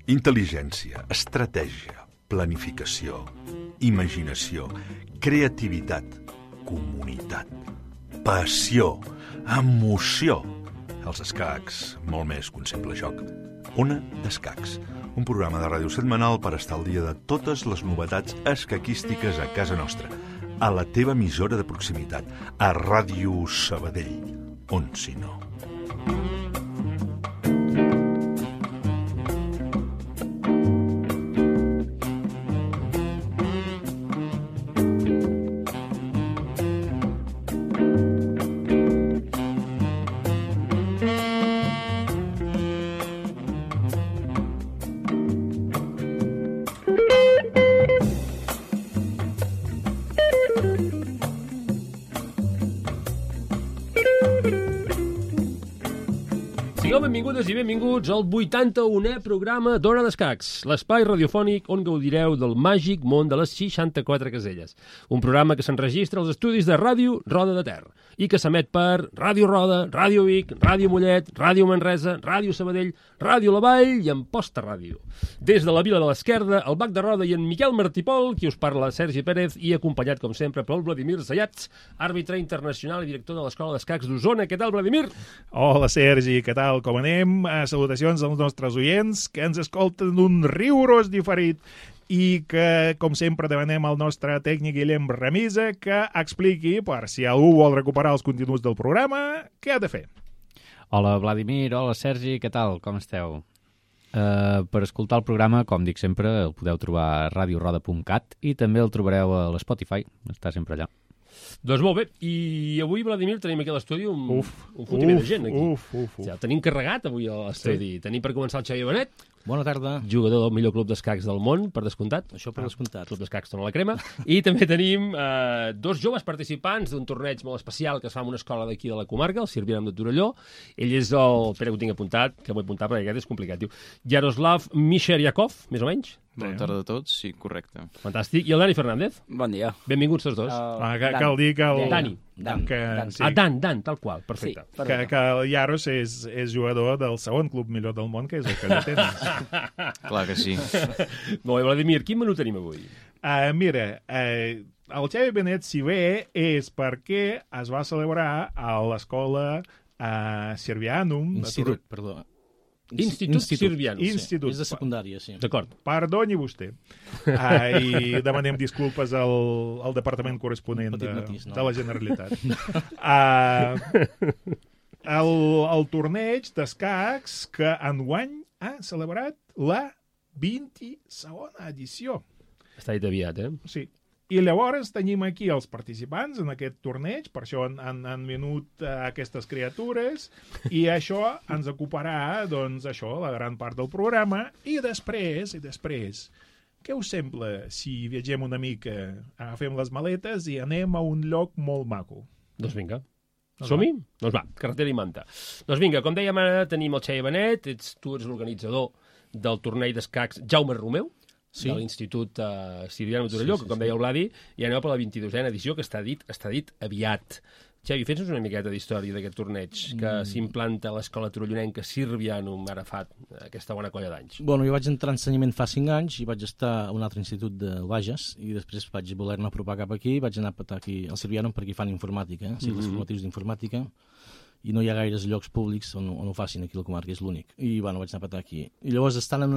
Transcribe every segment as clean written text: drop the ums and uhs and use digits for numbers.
Intel·ligència, estratègia, planificació, imaginació, creativitat, comunitat, passió, emoció. Els escacs, molt més que un simple joc. Ona d'Escacs, un programa de ràdio setmanal per estar al dia de totes les novetats escaquístiques a casa nostra, a la teva emissora de proximitat, a Ràdio Sabadell, on si no. Benvingudes i benvinguts al 81è programa d'Ona d'Escacs, l'espai radiofònic on gaudireu del màgic món de les 64 caselles. Un programa que s'enregistra als estudis de Ràdio Roda de Ter i que s'emet per Ràdio Roda, Ràdio Vic, Ràdio Mollet, Ràdio Manresa, Ràdio Sabadell, Ràdio La Vall i Amposta Ràdio. Des de la Vila de l'Esquerda, el Bac de Roda i en Miquel Martipol, qui us parla Sergi Pérez i acompanyat, com sempre, pel Vladimir Zayats, àrbitre internacional i director de l'Escola d'Escacs d'Osona. Què tal, Vladimir? Hola, Sergi, què tal? Com anem? Salutacions als nostres oients que ens escolten d'un riurós diferit i que, com sempre, demanem al nostre tècnic Guillem Remisa que expliqui, per si algú vol recuperar els continguts del programa, què ha de fer. Hola, Vladimir, hola, Sergi, què tal? Com esteu? Per escoltar el programa, com dic sempre, el podeu trobar a radioroda.cat i també el trobareu a l'Spotify, està sempre allà. Doncs molt bé, i avui, Vladimir, tenim aquí a l'estudi un fotimer de gent, aquí. Ja, tenim carregat avui a l'estudi. Sí. Tenim per començar el Xavier Benet. Bona tarda. Jugador del millor club d'escacs del món, per descomptat. Això per descomptat. Club d'escacs Tona la Crema. I també tenim dos joves participants d'un torneig molt especial que es fa en una escola d'aquí de la comarca, el Sirvianum de Torelló. Ell és el... Espera que ho tinc apuntat, que m'ho he apuntat perquè aquest és complicat. Diu Yaroslav Misheryakov, més o menys. Bona tarda a tots, sí, correcte. Fantàstic. I el Dani Fernández. Bon dia. Benvinguts tots dos. Cal dir que el... Dani. Dan, tal qual, perfecte. Sí, que el Yaros és jugador del segon club millor del món, que és el Callatenes. Clar que sí. Molt bé, Vladimir, quin menú tenim avui? Mira, el Xavi Benet, si ve, és perquè es va celebrar a l'escola Sirvianum... Institut, perdó. Institut Sirvianum. Institut. És de secundària, sí. D'acord. Perdoni vostè. I demanem disculpes al departament corresponent de la Generalitat. El torneig d'escacs que enguany ha celebrat la 22a edició. Està dit aviat, eh? Sí. I llavors tenim aquí els participants en aquest torneig, per això han venut aquestes criatures, i això ens ocuparà, doncs, això, la gran part del programa, i després, què us sembla si viatgem una mica, agafem les maletes i anem a un lloc molt maco? Doncs vinga. Som-hi? Doncs va, carretera i manta. Doncs vinga, com dèiem, ara tenim el Xavier Benet, tu ets l'organitzador del torneig d'escacs Jaume Romeu, sí, de l'Institut Sirvianum de Torelló, que com deia el Vladi, i anem per la 22a edició, que està dit aviat. Xavi, fes-nos una miqueta d'història d'aquest torneig que s'implanta a l'escola torellonenca Sirvianum ara fa aquesta bona colla d'anys. Bueno, jo vaig entrar en ensenyament fa 5 anys i vaig estar a un altre institut del Bages i després vaig voler-me apropar cap aquí i vaig anar a petar aquí al Sirvianum perquè hi fan informàtica, cicles formatius d'informàtica, i no hi ha gaires llocs públics on ho facin aquí a la comarca, és l'únic. I bueno, vaig anar a petar aquí. I llavors, estant en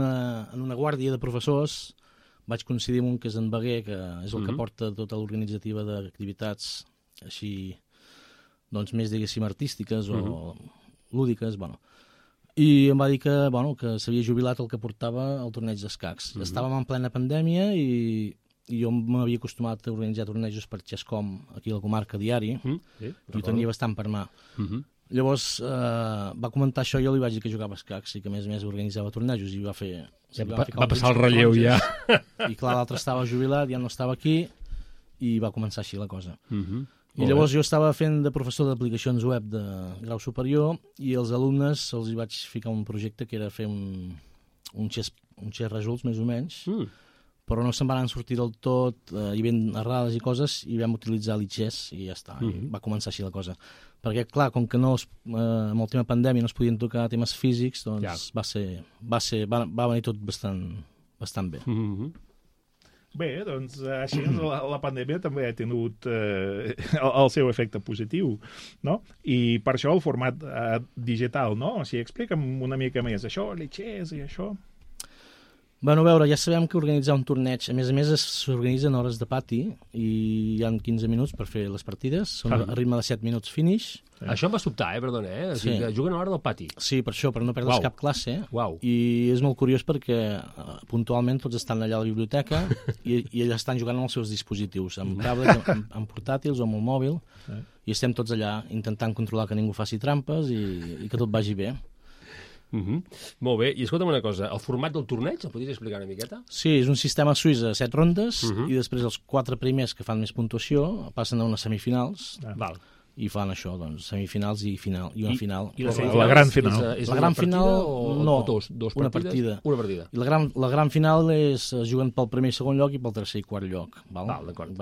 una guàrdia de professors, vaig coincidir amb un que és en Beguer, que és el que porta tota l'organitzativa d'activitats així, doncs més, diguéssim, artístiques o lúdiques, bueno. I em va dir que s'havia jubilat el que portava el torneig d'escacs. Estàvem en plena pandèmia i jo m'havia acostumat a organitzar tornejos per Xescom, aquí a la comarca diari, i ho tenia bastant per mà. Llavors va comentar això, jo li vaig dir que jugava a escacs i que a més organitzava tornejos i va passar el relleu ja. I clar, l'altre estava jubilat, ja no estava aquí i va començar així la cosa. I llavors jo estava fent de professor d'aplicacions web de grau superior i els alumnes els hi vaig ficar un projecte que era fer un xes results més o menys però no se'n van sortir del tot, hi havia errades i coses, i vam utilitzar l'IGES i ja està, i va començar així la cosa. Perquè, clar, com que amb el tema pandèmia no es podien tocar temes físics, doncs va venir tot bastant bé. Bé, doncs així la pandèmia també ha tingut el seu efecte positiu, no? I per això el format digital, no? O sigui, explica'm una mica més això, l'IGES i això. Bueno, a veure, ja sabem que organitzar un torneig, a més s'organitzen hores de pati i hi ha 15 minuts per fer les partides, són a ritme de 7 minuts finish. Això em va sobtar, perdona, O sigui, que juguen a l'hora del pati. Sí, per això, per no perdre's cap classe. I és molt curiós perquè puntualment tots estan allà a la biblioteca i ells estan jugant amb els seus dispositius, amb tablets, amb portàtils o amb el mòbil, i estem tots allà intentant controlar que ningú faci trampes i que tot vagi bé. Molt bé, i escolta'm una cosa, el format del torneig, el podries explicar una miqueta? Sí, és un sistema suís de 7 rondes i després els 4 primers que fan més puntuació passen a unes semifinals i fan això, doncs, semifinals i final, i una final. I la gran final? La gran final, no, una partida. I la gran final es juguen pel primer i segon lloc i pel tercer i quart lloc. Va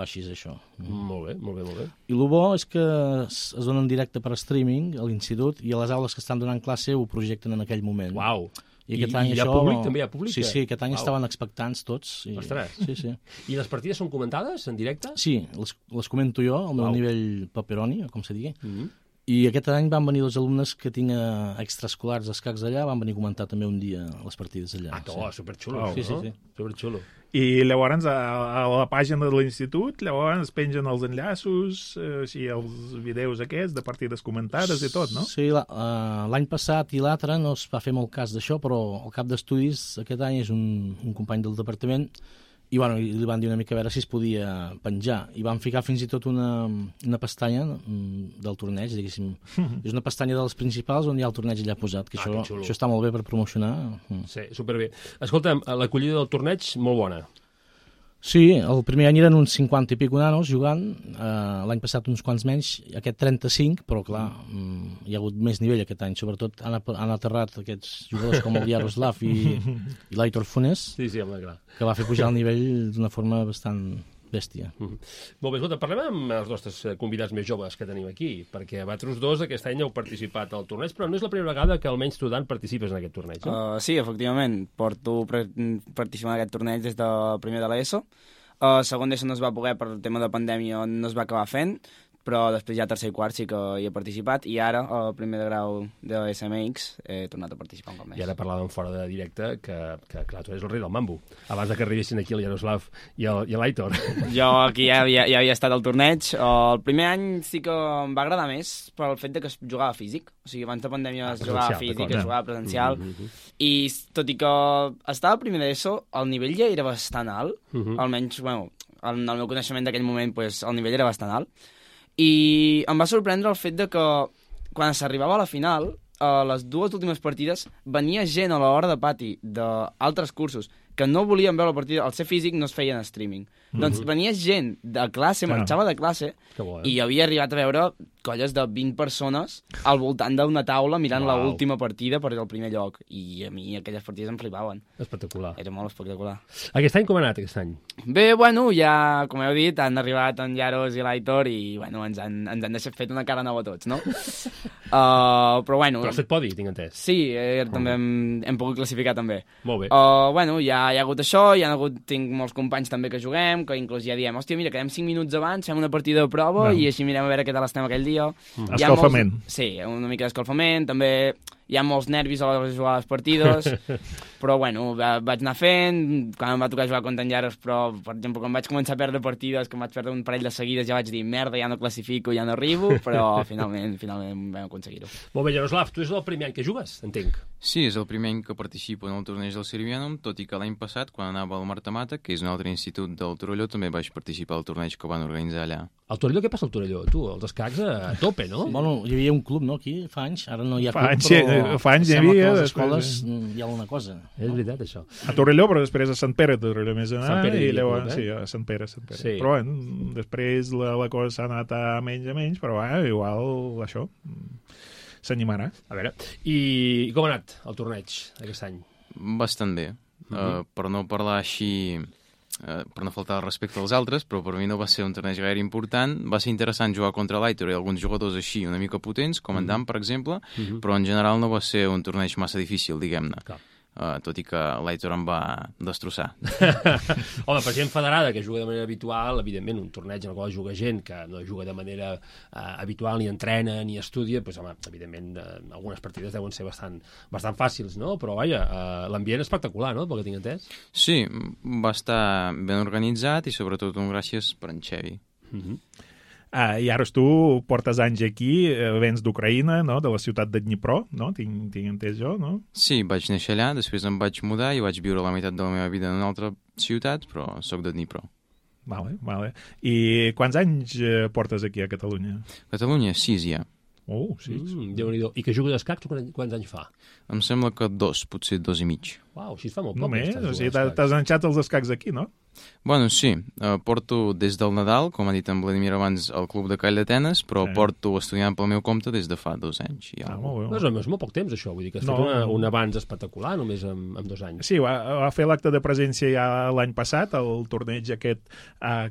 així és això. Molt bé. I el bo és que es dona en directe per streaming a l'institut i a les aules que estan donant classe ho projecten en aquell moment. Uau! I aquest any hi ha públic? També hi ha públic? Sí, aquest any estaven expectants tots. Ostres! Sí. I les partides són comentades en directe? Sí, les comento jo, al meu nivell paperoni, com se digui. I aquest any van venir 2 alumnes que tinc extraescolars d'escacs allà, van venir a comentar també un dia les partides allà. Superxulo. Sí. Superxulo. I llavors a la pàgina de l'institut llavors pengen els enllaços, els vídeos aquests de partides comentades i tot, no? Sí, l'any passat i l'altre no es va fer molt cas d'això, però el cap d'estudis aquest any és un company del departament i li van dir una mica a veure si es podia penjar. I van ficar fins i tot una pestanya del torneig, diguéssim. És una pestanya dels principals on hi ha el torneig allà posat, que això està molt bé per promocionar. Sí, superbé. Escolta'm, l'acollida del torneig, molt bona. Sí, el primer any eren uns 50 i pico nanos jugant, l'any passat uns quants menys, aquest 35, però clar, hi ha hagut més nivell aquest any, sobretot han aterrat aquests jugadors com el Yaroslav i l'Aitor Funes, que va fer pujar el nivell d'una forma bastant bèstia. Molt bé, escolta, parlem amb els nostres convidats més joves que tenim aquí, perquè vosaltres dos aquest any heu participat al torneig, però no és la primera vegada que almenys tu, Dan, participes en aquest torneig, no? Sí, efectivament. Porto participant en aquest torneig des del primer de l'ESO. Segon d'ESO no es va poder per el tema de pandèmia, no es va acabar fent, però després ja tercer i quart sí que hi he participat i ara, al primer de grau de SMX, he tornat a participar un cop més. I ara parlàvem fora de directe que clar, tu eres el rei del mambo, abans de que arribessin aquí el Yaroslav i l'Aitor. Jo aquí ja havia estat al torneig. El primer any sí que em va agradar més pel fet de que es jugava físic, o sigui, abans de pandèmia es jugava físic, es jugava presencial, i tot i que estava al primer d'ESO, el nivell ja era bastant alt, almenys, bueno, en el meu coneixement d'aquell moment, pues, el nivell era bastant alt, i em va sorprendre el fet de que quan s'arribava a la final, a les 2 últimes partides, venia gent a l'hora de pati d'altres cursos que no volien veure la partida, al ser físic no es feien streaming. Doncs venia gent de classe, marxava de classe, i havia arribat a veure colles de 20 persones al voltant d'una taula mirant l'última partida per el primer lloc. I a mi aquelles partides em flipaven. Espectacular. Era molt espectacular. Aquest any com ha anat, aquest any? Bé, bueno, ja, com heu dit, han arribat en Yaros i l'Aitor i, bueno, ens han deixat fet una cara nova a tots, no? Però, bueno... Però has fet podi, tinc entès. Sí, també hem pogut classificar també. Molt bé. Bueno, ja hi ha hagut això, tinc molts companys també que juguem, que inclús ja diem, hòstia, mira, quedem 5 minuts abans, fem una partida de prova i així mirem a veure què tal estem aquell dia. Escalfament. Sí, una mica d'escalfament, també hi ha molts nervis a l'hora de jugar a les partides, però bueno, vaig anar fent, quan em va tocar jugar contra en Yaros, però, per exemple, quan vaig començar a perdre partides, que em vaig perdre un parell de seguides, ja vaig dir, merda, ja no classifico, ja no arribo, però finalment vam aconseguir-ho. Molt bé, Yaroslav, tu és el primer any que jugues, entenc. Sí, és el primer any que participo en el torneig del Sirvianum, tot i que l'any passat, quan anava al Marta Mata, que és un altre institut del Torelló, també vaig participar al torneig que van organitzar allà. Al Torelló, què passa al Torelló? Tu, els escacs a tope, no? Bueno, hi havia un club, no?, aquí, fa anys, ara no hi ha club, però fa anys hi havia, a les escoles hi ha alguna cosa. És veritat, això. A Torelló, però després a Sant Pere de Torelló més anar, i llavors, sí, a Sant Pere. Sí. Però, bueno, després la cosa s'ha anat a menys, però, igual, això... s'animarà. A veure, i com ha anat el torneig aquest any? Bastant bé. Per no parlar així per no faltar el respecte als altres, però per mi no va ser un torneig gaire important. Va ser interessant jugar contra l'Aitor i alguns jugadors així una mica potents, com en Dan, per exemple, però en general no va ser un torneig massa difícil, diguem-ne. Tot i que l'Aitor em va destrossar. Home, per gent federada que juga de manera habitual, evidentment, un torneig en el qual juga gent que no juga de manera habitual, ni entrena, ni estudia, doncs, home, evidentment, algunes partides deuen ser bastant fàcils, no? Però, vaja, l'ambient és espectacular, no?, pel que tinc entès. Sí, va estar ben organitzat i, sobretot, un gràcies per en Xevi. I ara tu portes anys aquí, vens d'Ucraïna, no? De la ciutat de Dnipro, no? Tinc entès jo, no? Sí, vaig néixer allà, després em vaig mudar i vaig viure la meitat de la meva vida en una altra ciutat, però sóc de Dnipro. Vale. I quants anys portes aquí a Catalunya? Catalunya, 6 ja. Oh, 6. Déu-n'hi-do. I que jugues d'escacs quants anys fa? Em sembla que 2, potser 2 i mig. Uau, així es fa molt poc. Només? O sigui, t'has enxat els escacs aquí, no? Bueno, sí. Porto des del Nadal, com ha dit en Vladimir abans, al Club de Call d'Atenes, però porto estudiant pel meu compte des de fa 2 anys. Molt bé. No és molt poc temps, això. Vull dir que has fet un avanç espectacular només en 2 anys. Sí, va fer l'acte de presència ja l'any passat, el torneig aquest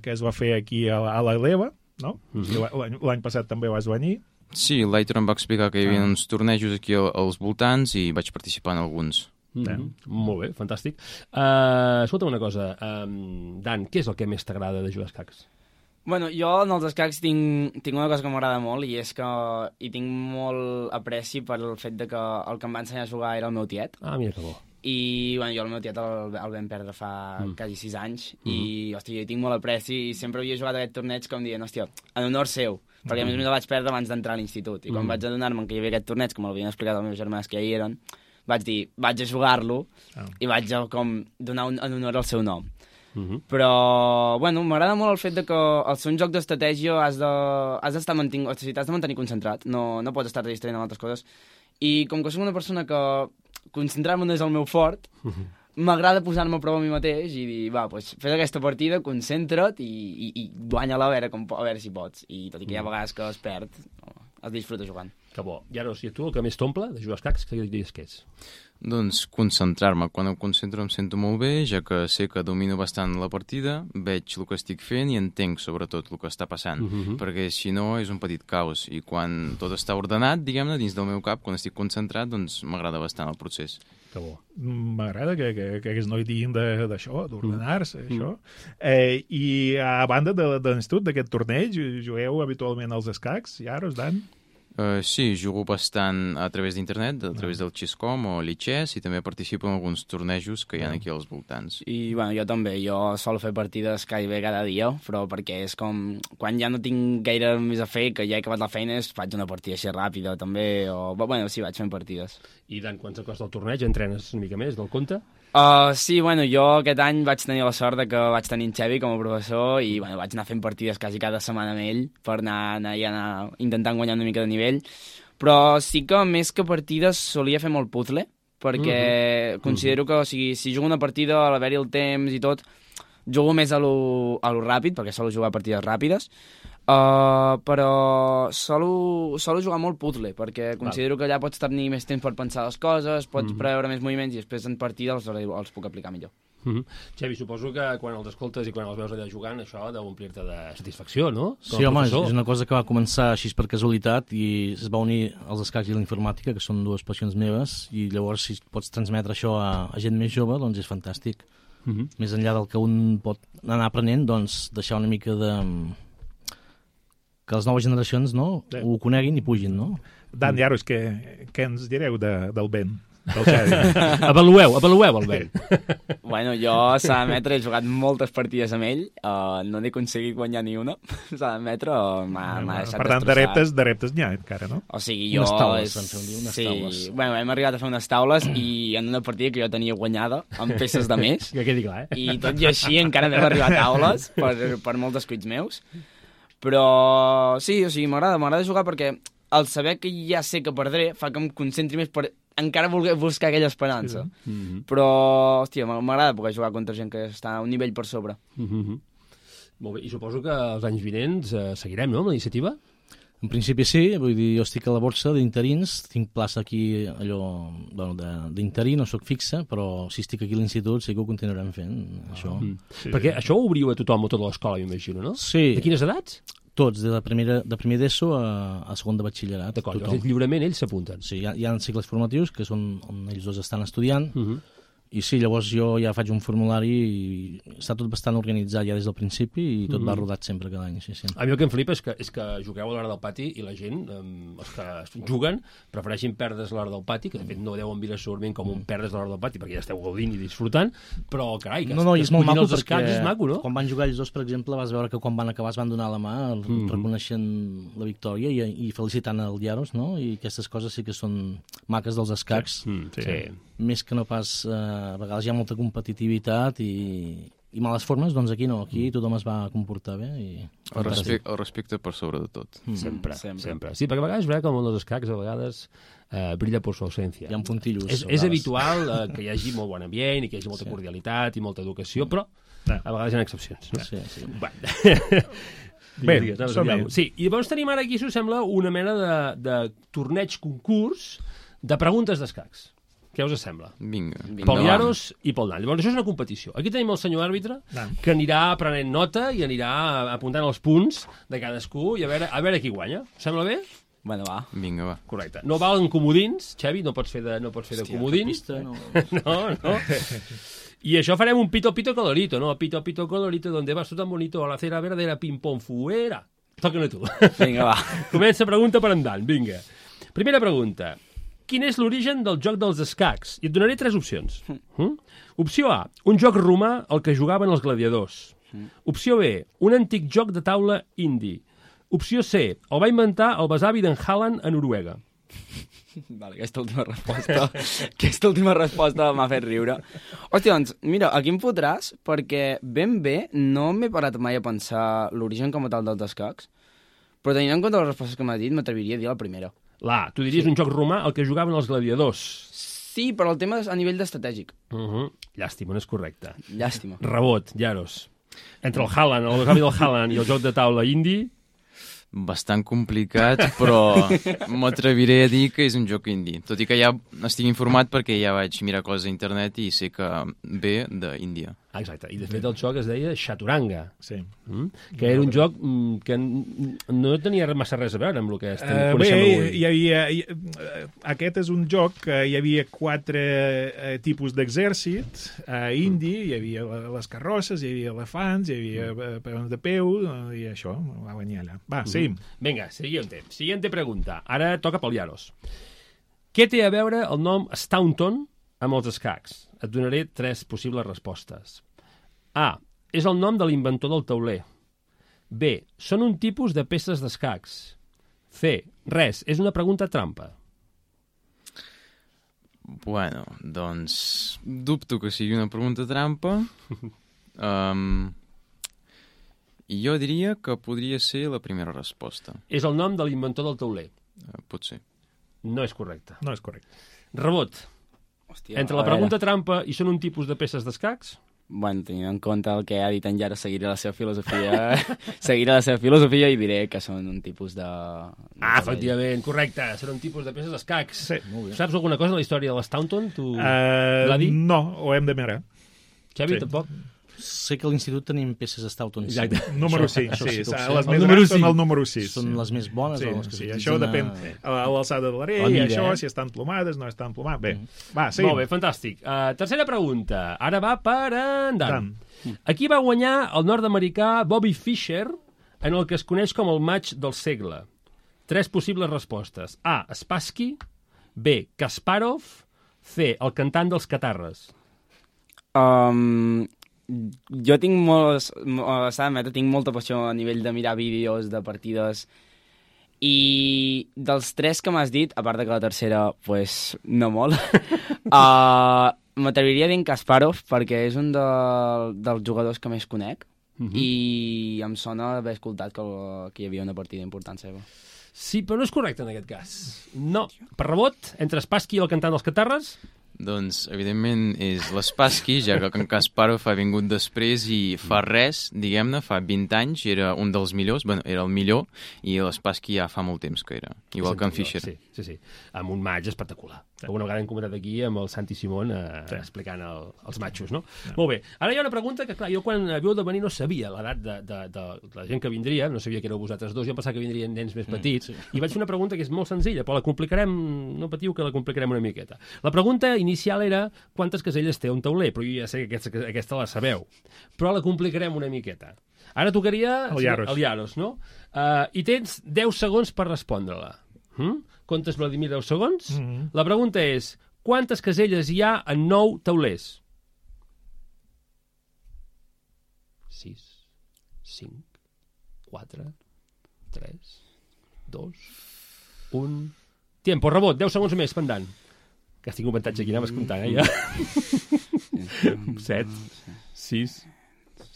que es va fer aquí a l'Eleva, no? L'any passat també vas venir. Sí, l'Aitor em va explicar que hi havia uns tornejos aquí als voltants i vaig participar en alguns. Molt bé, fantàstic. Escolta'm una cosa, Dan, què és el que més t'agrada de jugar a escacs? Bueno, jo en els escacs tinc una cosa que m'agrada molt i és que hi tinc molt apreci per el fet de que el que em va ensenyar a jugar era el meu tiet. Ah, mira que bo. I bueno, jo el meu tiet el vam perdre fa quasi 6 anys i, hòstia, jo hi tinc molt apreci i sempre havia jugat aquest torneig com dient, hòstia, en honor seu, perquè a més el vaig perdre abans d'entrar a l'institut. I quan vaig adonar-me que hi havia aquest torneig, com m'havien explicat els meus germans que hi eren, vaig dir, vaig a jugar-lo i vaig a com donar en honor al seu nom. Però, bueno, m'agrada molt el fet de que al ser un joc d'estratègia has d'estar t'has de mantenir concentrat, no pots estar distraient amb altres coses. I com que soc una persona que concentrar-me no és el meu fort, m'agrada posar-me a prova a mi mateix i dir, va, doncs fes aquesta partida, concentra't i guanya-la a veure si pots. I tot i que hi ha vegades que es perd, es disfruta jugant. Que bo. I ara, o sigui, tu el que més t'omple de jugar als escacs, què diries que és? Doncs concentrar-me. Quan em concentro em sento molt bé, ja que sé que domino bastant la partida, veig el que estic fent i entenc sobretot el que està passant, perquè si no és un petit caos. I quan tot està ordenat, diguem-ne, dins del meu cap, quan estic concentrat, doncs m'agrada bastant el procés. Que bo. M'agrada que aquests nois diguin d'això, d'ordenar-se, això. I a banda de l'institut, d'aquest torneig, jugueu habitualment als escacs, ja, Dan? Sí, jugo bastant a través d'internet, a través del Chess.com o l'Ichess, i també participo en alguns tornejos que hi ha aquí als voltants. I, bueno, jo també. Jo solo fer partides gairebé cada dia, però perquè és com... Quan ja no tinc gaire més a fer, que ja he acabat la feina, faig una partida així ràpida, també, o... Bueno, sí, vaig fent partides. I, Dan, quants costa el torneig? Entrenes una mica més del compte? Sí, bueno, jo aquest any vaig tenir la sort de que vaig tenir en Xevi com a professor i bueno, vaig anar fent partides quasi cada setmana amb ell per anar intentant guanyar una mica de nivell, però sí que més que partides solia fer molt puzzle, perquè considero que, o sigui, si jugo una partida a l'haver-hi el temps i tot, jugo més a lo ràpid, perquè solo jugar partides ràpides, però solo jugar molt puzzle, perquè considero que allà pots tenir més temps per pensar les coses, pots preveure més moviments i després en partida els puc aplicar millor. Xevi, suposo que quan els escoltes i quan els veus allà jugant, això ha d'omplir-te de satisfacció, no? Sí, home, és una cosa que va començar així per casualitat i es va unir als escacs i la informàtica, que són dues passions meves, i llavors si pots transmetre això a gent més jove, doncs és fantàstic. Més enllà del que un pot anar aprenent, doncs deixar una mica de... que les noves generacions ho coneguin i pugin, no? Dan, Jaros, què ens direu del Ben? Del Xavi? Avalueu el Ben. Bueno, jo s'ha d'admetre, he jugat moltes partides amb ell, no n'he aconseguit guanyar ni una, s'ha d'admetre, m'ha deixat per tant, de reptes n'hi ha encara, no? O sigui, jo... Unes taules, vam fer un dia, unes taules. Bueno, hem arribat a fer unes taules i en una partida que jo tenia guanyada, amb peces de més, que quedi clar, i tot i així encara no hem arribat a taules per molts descuits meus. Però sí, o sigui, m'agrada jugar perquè el saber que ja sé que perdré fa que em concentri més per encara voler buscar aquella esperança. Però, hòstia, m'agrada poder jugar contra gent que està a un nivell per sobre. Molt bé, i suposo que els anys vinents seguirem, no, amb la iniciativa? En principi sí, vull dir, jo estic a la borsa d'interins, tinc plaça aquí d'interí, no sóc fixa, però si estic aquí a l'institut sí que ho continuarem fent, això. Sí, perquè això ho obriu a tothom, a tota l'escola, m'imagino, no? Sí. De quines edats? Tots, de primer d'ESO a segon de batxillerat. D'acord, llavors lliurement ells s'apunten. Sí, hi ha cicles formatius que són on ells dos estan estudiant, i sí, llavors jo ja faig un formulari i està tot bastant organitzat ja des del principi i tot va rodat sempre cada any. Sí. A mi el que em flipa és que jugueu a l'hora del pati i la gent, els que juguen, prefereixin perdre's a l'hora del pati, que de fet no deuen mirar segurament com un perdre's a l'hora del pati, perquè ja esteu gaudint i disfrutant, però carai, que no, és molt maco els escacs és maco, no? Quan van jugar ells dos, per exemple, vas veure que quan van acabar es van donar la mà reconeixent la victòria i felicitant el Llaros, no? I aquestes coses sí que són maques dels escacs. Sí. Més que no pas, a vegades hi ha molta competitivitat i males formes, doncs aquí no, aquí tothom es va comportar bé. El respecte per sobre de tot. Sempre. Sí, perquè a vegades és veritat que el món dels escacs a vegades brilla per su ausència. Hi ha puntillos. És habitual que hi hagi molt bon ambient i que hi hagi molta cordialitat i molta educació, però a vegades hi ha excepcions. No? Sí. Bé, sí, i llavors tenim ara aquí, si us sembla, una mena de torneig concurs de preguntes d'escacs. Què us sembla? Vinga. Pel Llaros i pel Dan. Llavors, això és una competició. Aquí tenim el senyor àrbitre, que anirà prenent nota i anirà apuntant els punts de cadascú i a veure qui guanya. Us sembla bé? Bueno, va. Vinga, va. Correcte. No valen comodins, Xavi, no pots fer de comodins. No. I això farem un pito colorito, ¿no? Pito colorito, donde vas tú tan bonito a la cera verdadera ping-pong fuera. Toca-ne tu. Vinga, va. Comença pregunta per en Dan, vinga. Primera pregunta. Quin és l'origen del joc dels escacs? I et donaré 3 opcions. Opció A, un joc romà al que jugaven els gladiadors. Opció B, un antic joc de taula indi. Opció C, el va inventar el besavi d'en Haaland a Noruega. Vale, aquesta última resposta m'ha fet riure. Hòstia, doncs, mira, aquí em fotràs perquè ben bé no m'he parat mai a pensar l'origen com a tal dels escacs, però tenint en compte les respostes que m'ha dit, m'atreviria a dir la primera. Tu diries un joc romà al que jugaven els gladiadors. Sí, però el tema és a nivell d'estratègic. Llàstima, no és correcte. Llàstima. Rebot, Llaros. Entre el Haaland, el besavi del Haaland i el joc de taula indi... Bastant complicat, però m'atreviré a dir que és un joc indie. Tot i que ja estic informat perquè ja vaig mirar coses a internet i sé que ve d'Índia. Exacte, i de fet el joc es deia Chaturanga, sí. Que era un joc que no tenia massa res a veure amb el que coneixem avui. Aquest és un joc que hi havia 4 tipus d'exèrcit indi, hi havia les carrosses, hi havia elefants, hi havia peons de peu, i això, va venir allà. Va, sí. Vinga, siguiente pregunta. Ara toca pel Llaros. Què té a veure el nom Staunton amb els escacs? Et donaré 3 possibles respostes. A. És el nom de l'inventor del tauler. B. Són un tipus de peces d'escacs. C. Res, és una pregunta trampa. Bueno, doncs dubto que sigui una pregunta trampa. I jo diria que podria ser la primera resposta. És el nom de l'inventor del tauler. Pot ser. No és correcte. No és correcte. Rebot. Hòstia, entre la pregunta trampa i són un tipus de peces d'escacs? Bueno, tenint en compte el que ha dit en Llaros, seguiré la seva filosofia i diré que són un tipus de... Efectivament, correcte, són un tipus de peces d'escacs. Sí. Saps alguna cosa de la història de l'Staunton? No, ho hem de mirar. Xavi, tampoc? Sé que a l'institut tenim peces Staunton. Exacte. Número 6, sí. Les més grans són el número 6. Són les més bones. Sí, això depèn a l'alçada de l'arell, això, si estan plomades, no estan plomades. Bé, va, sí. Molt bé, fantàstic. Tercera pregunta. Ara va per en Dan. Aquí va guanyar el nord-americà Bobby Fischer en el que es coneix com el match del segle. 3 possibles respostes. A. Spassky. B. Kasparov. C. El cantant dels Catarres. Jo tinc tinc molta passió a nivell de mirar vídeos de partides i dels 3 que m'has dit, a part de que la tercera pues, no molt, m'atreviria a dir en Kasparov perquè és un dels jugadors que més conec i em sona haver escoltat que hi havia una partida important seva. Sí, però no és correcte en aquest cas. No. Per rebot, entre Spassky i el cantant dels Catarres? Doncs, evidentment, és l'Spassky, ja que en Kasparov ha vingut després i fa res, diguem-ne, fa 20 anys, era un dels millors, bueno, era el millor, i l'Spassky ja fa molt temps que era, igual que en Fischer. Sí, amb un match espectacular. Alguna vegada hem comentat aquí amb el Santi Simón explicant els matxos, no? Molt bé. Ara hi ha una pregunta que, clar, jo quan havíeu de venir no sabia l'edat de la gent que vindria, no sabia que éreu vosaltres dos, jo em pensava que vindrien nens més petits, i vaig fer una pregunta que és molt senzilla, però la complicarem, no patiu que la complicarem una miqueta. La pregunta inicial era quantes caselles té un tauler, però jo ja sé que aquesta la sabeu, però la complicarem una miqueta. Ara tocaria el Yaros, no? I tens 10 segons per respondre-la. Comptes, Vladimir, 10 segons? La pregunta és, quantes caselles hi ha en 9 taulers? 6, 5, 4, 3, 2, 1... Tiempo, rebot, 10 segons més, pendant. Que estic un avantatge aquí, anaves comptant, ja. 7, 6,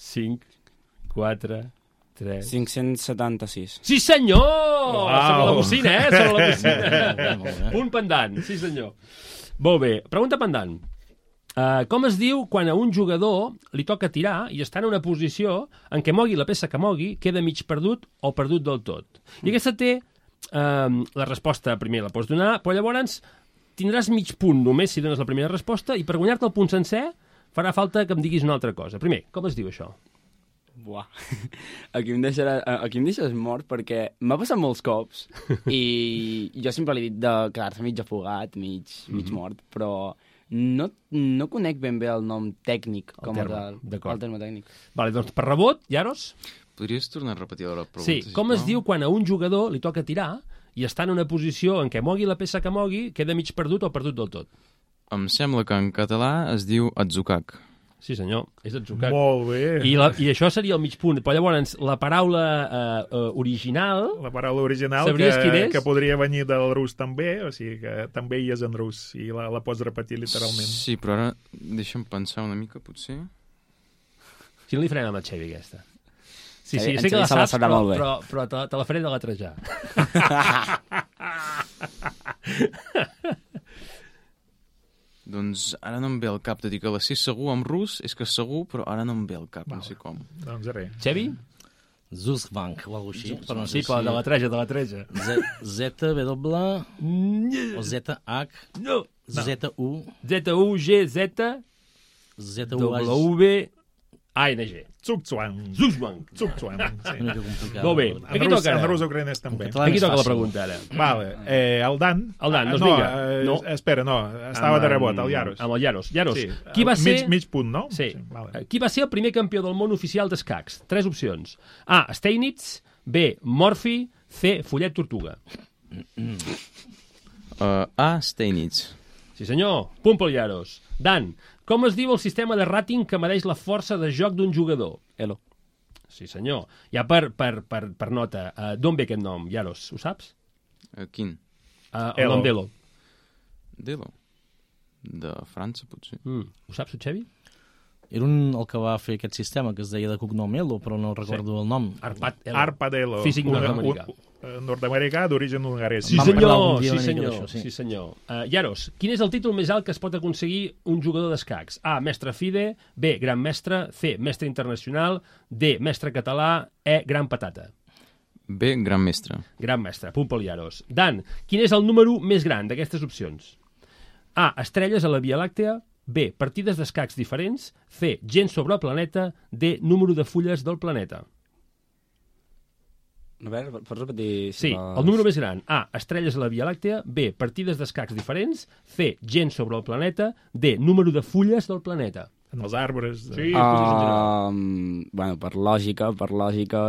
5, 4... 576. Sí, senyor! Sobre la bocina, sobre la bocina. Punt pendant, sí, senyor. Molt bé, pregunta pendant. Com es diu quan a un jugador li toca tirar i està en una posició en què mogui la peça que mogui, queda mig perdut o perdut del tot? I aquesta té... la resposta primer la pots donar, però llavors tindràs mig punt només si dones la primera resposta i per guanyar-te el punt sencer farà falta que em diguis una altra cosa. Primer, com es diu això? Buah, aquí em deixes mort perquè m'ha passat molts cops i jo sempre li he dit de quedar-se mig afogat, mig mort, però no conec ben bé el nom tècnic, el terme tècnic. Vale, doncs per rebot, Yaros? Podries tornar a repetir la pregunta? Sí, com es diu quan a un jugador li toca tirar i està en una posició en què mogui la peça que mogui, queda mig perdut o perdut del tot? Em sembla que en català es diu atzukak. Sí, senyor, és atzucac. Molt bé. I això seria el mig punt. Però llavors, la paraula original... La paraula original que podria venir del rus també, o sigui que també hi és en rus, i la pots repetir literalment. Sí, però ara deixa'm pensar una mica, potser. Si no li farem amb la Xevi, aquesta. Sí, sé que la saps, però te la faré de letrejar. Doncs ara no em ve al cap, de dir que la sé segur amb rus, és que segur, però ara no em ve al cap, no sé com. Doncs res. Xevi? Zuzbank o alguna cosa així. Però no sé si... de letreja. ZW o ZH. No. ZU. ZUGZ. ZUW. ANG. Zugzwang. Sí. Molt bé. Aquí toca en rus ucraïnès també. Aquí toca la pregunta, ara. Vale. El Dan. Doncs vinga. No, espera, no. Estava de rebot, el Yaros. Amb el Yaros. Yaros, sí. Qui va ser... Mig punt, no? Sí. Vale. Qui va ser el primer campió del món oficial d'escacs? 3 opcions. A. Steinitz. B. Morphy. C. Follet Tortuga. A. Steinitz. Sí, senyor. Punt pel Yaros. Dan, com es diu el sistema de rating que medeix la força de joc d'un jugador? Elo. Sí, senyor. Ja per nota, d'on ve aquest nom, Yaros? Ho saps? Quin? El nom d'Elo. D'Elo? De França, potser. Ho saps, Xevi? Era el que va fer aquest sistema, que es deia de cognom Elo, però no recordo el nom. Arpad Elo. Físic nord-americà. Nord-americà d'origen hongarès. Sí, senyor. Yaros, quin és el títol més alt que es pot aconseguir un jugador d'escacs? A. Mestre FIDE. B. Gran mestre. C. Mestre internacional. D. Mestre català. E. Gran patata. B. Gran mestre. Gran mestre. Punt pel Yaros. Dan, quin és el número més gran d'aquestes opcions? A. Estrelles a la Via Làctea. B. Partides d'escacs diferents. C. Gent sobre el planeta. D. Número de fulles del planeta. A veure, pots repetir? Sí, el número més gran. A. Estrelles a la Via Làctea. B. Partides d'escacs diferents. C. Gent sobre el planeta. D. Número de fulles del planeta. En els arbres. Sí, bueno, per lògica,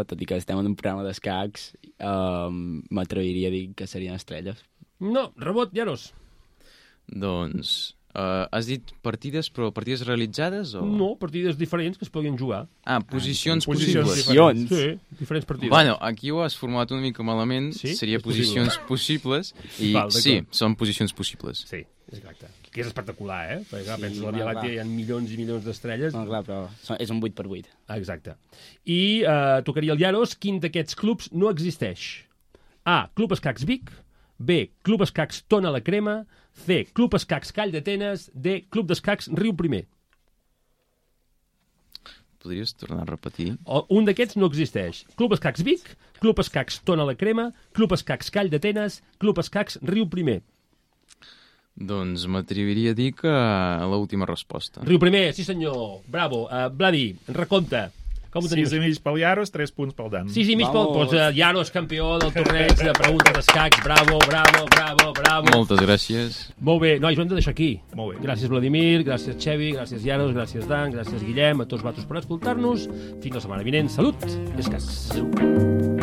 tot i que estem en un programa d'escacs, m'atreviria a dir que serien estrelles. No, rebot, Yaros. Doncs... has dit partides, però partides realitzades o...? No, partides diferents que es podien jugar. Posicions possibles. Sí, diferents partides. Bueno, aquí ho has formulat una mica malament. Sí? Seria posicions possibles. I sí, són posicions possibles. Sí, exacte. Que és espectacular, perquè clar, penses a la Via Làctea hi ha milions i milions d'estrelles. No, clar, però és un 8x8. Exacte. I tocaria el Yaros, quin d'aquests clubs no existeix? A. Club Escacs Vic. B, Club Escacs Tona la Crema, C, Club Escacs Call d'Atenes, D, Club d'Escacs Riu Primer. Podries tornar a repetir? Un d'aquests no existeix. Club Escacs Vic, Club Escacs Tona la Crema, Club Escacs Call d'Atenes, Club Escacs Riu Primer. Doncs m'atreviria a dir que l'última resposta. Riu Primer, sí senyor. Bravo. Vladi, recompte. Com ho teniu? 6,5 pel Yaros, 3 punts pel Dan. 6,5 pel... Doncs Yaros, campió del torneig de preguntes d'escacs. Bravo, bravo, bravo, bravo. Moltes gràcies. Molt bé. Nois, ho hem de deixar aquí. Molt bé. Gràcies, Vladimir, gràcies, Xevi, gràcies, Yaros, gràcies, Dan, gràcies, Guillem, a tots vosaltres per escoltar-nos. Fins la setmana vinent. Salut i escacs.